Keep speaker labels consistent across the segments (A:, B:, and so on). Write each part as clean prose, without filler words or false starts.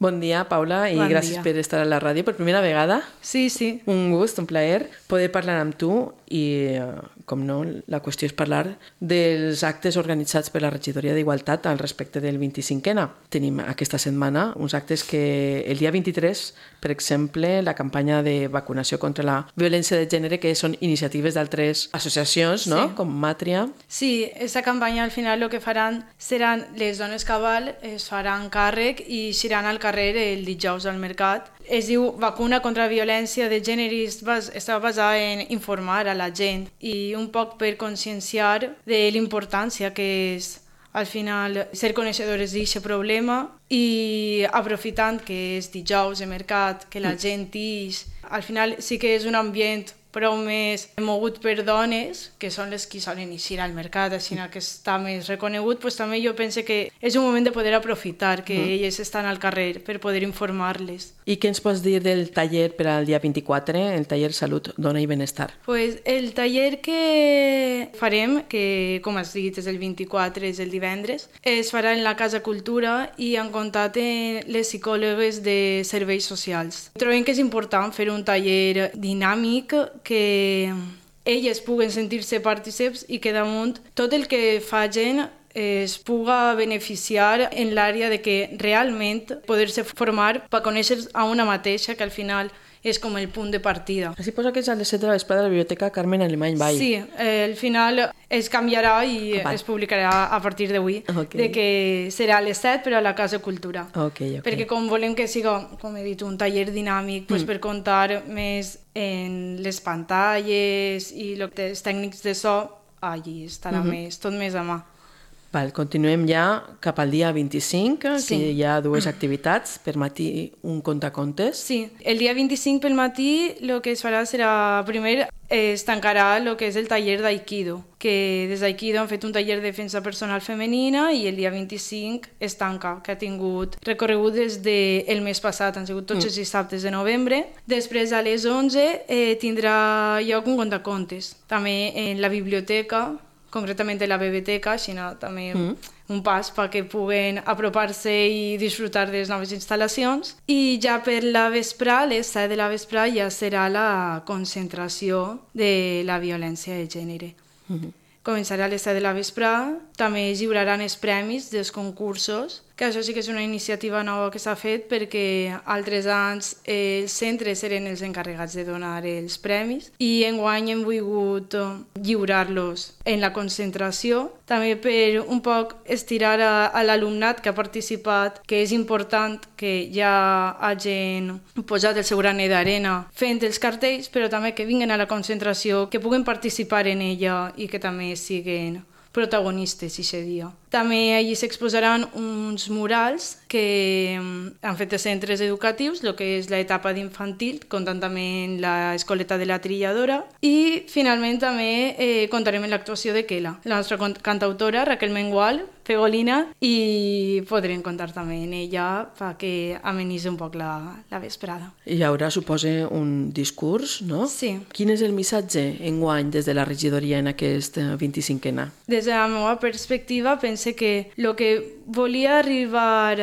A: Bon dia, Paula, i gràcies per estar a la ràdio per primera vegada.
B: Sí, sí.
A: Un gust, un plaer poder parlar amb tu i, com no, la qüestió és parlar dels actes organitzats per la Regidoria d'Igualtat al respecte del 25N. Tenim aquesta setmana uns actes que el dia 23, per exemple, la campanya de vacunació contra la violència de gènere, que són iniciatives d'altres associacions, no?
B: Sí.
A: Com Màtria.
B: Sí, aquesta campanya al final el que faran seran les dones cabal, es faran càrrec i iran al carrer el dijous al mercat. Es diu Vacuna contra la violència de gènere i està basada en informar a la gent i un poc per conscienciar de l'importància que és al final ser coneixedores d'aquest problema i aprofitant que és dijous de mercat, que la gent ix, al final sí que és un ambient prou més mogut per dones, que són les que solen eixir al mercat, així que està més reconegut, doncs també jo penso que és un moment de poder aprofitar que elles estan al carrer per poder informar-les.
A: I què ens pots dir del taller per al dia 24, el taller Salut, Dona i Benestar?
B: Pues el taller que farem, que com has dit és el 24, és el divendres, es farà en la Casa Cultura i en comptat les psicòlogues de serveis socials. Trobem que és important fer un taller dinàmic, que elles puguen sentir-se partícips i que damunt tot el que facin es puga beneficiar en l'àrea de que realment poder-se formar per conèixer a una mateixa, que al final és com el punt de partida.
A: Així posa que és a les 7 de la vesprada a la Biblioteca Carmen Alemany Vall.
B: Sí, al final es canviarà i es publicarà a partir d'avui, de que serà a les 7 però a la Casa Cultura. Perquè com volem que siga, com he dit, un taller dinàmic per contar més en les pantalles i els tècnics de so, allí estarà tot més a mà.
A: Continuem ja cap al dia 25, que hi ha dues activitats. Per matí un contacontes.
B: Sí, el dia 25 pel matí el que es farà serà, primer es tancarà el que és el taller d'Aikido, que des d'Aikido han fet un taller de defensa personal femenina i el dia 25 es tanca, que ha tingut recorregut des del mes passat, han sigut tots els dissabtes de novembre. Després a les 11 tindrà lloc un contacontes, també en la biblioteca, concretament a la biblioteca, així també un pas perquè puguen apropar-se i disfrutar de les noves instal·lacions. I ja per la vesprà, a les 7 de la vesprà, ja serà la concentració de la violència de gènere. Començarà a les 7 de la vesprà, també es lliuraran els premis dels concursos, que això sí que és una iniciativa nova que s'ha fet perquè altres anys els centres eren els encarregats de donar els premis i enguany hem volgut lliurar-los en la concentració, també per un poc estirar a l'alumnat que ha participat, que és important que ja hagin posat el seu granet d'arena fent els cartells, però també que vinguin a la concentració, que puguen participar en ella i que també siguin protagonistes aquest dia. També allí s'exposaran uns murals que han fet els centres educatius, el que és l'etapa d'infantil, comptant també en l'escoleta de la trilladora. I finalment també comptarem amb l'actuació de Kela, la nostra cantautora Raquel Mengual, Fegolina, i podrem comptar també en ella perquè amenitzi un poc la vesprada.
A: Hi haurà, suposa, un discurs, no?
B: Sí.
A: Quin és el missatge enguany des de la regidoria en aquest 25N?
B: Des de la meva perspectiva, pense que el que volia arribar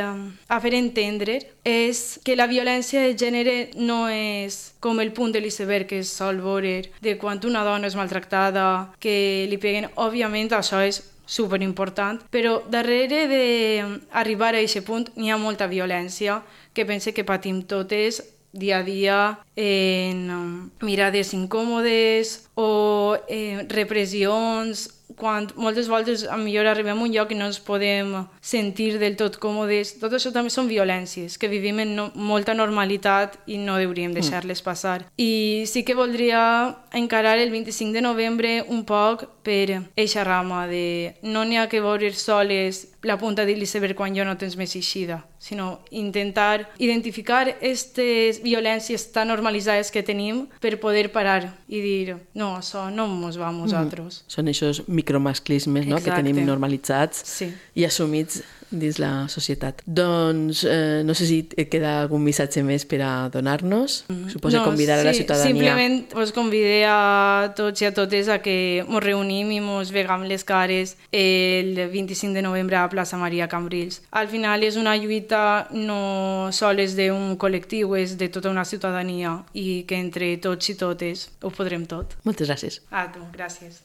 B: a fer entendre és que la violència de gènere no és com el punt de l'iceberg que es sol veure de quan una dona és maltractada, que li peguen. Òbviament això és superimportant, però darrere d'arribar a aquest punt n'hi ha molta violència que pense que patim totes dia a dia en mirades incòmodes o repressions, quan moltes voltes millor arribem a un lloc i no ens podem sentir del tot còmodes. Tot això també són violències que vivim en molta normalitat i no hauríem deixar-les passar. I sí que voldria encarar el 25 de novembre un poc per eixa rama de no n'hi ha que veure soles la punta de l'iceberg quan jo no tens més eixida, sinó intentar identificar aquestes violències tan normalitzades que tenim per poder parar i dir no, això no ens va a nosaltres.
A: Són aquests micromasclismes, no?, que tenim normalitzats i assumits dins la societat. Doncs no sé si et queda algun missatge més per a donar-nos. Suposo convidar a la ciutadania.
B: Simplement us convidé a tots i a totes a que ens reunim i ens vegam les cares el 25 de novembre a Plaça Maria Cambrils. Al final és una lluita no sols d'un col·lectiu, és de tota una ciutadania i que entre tots i totes ho podrem tot.
A: Moltes gràcies.
B: A tu, gràcies.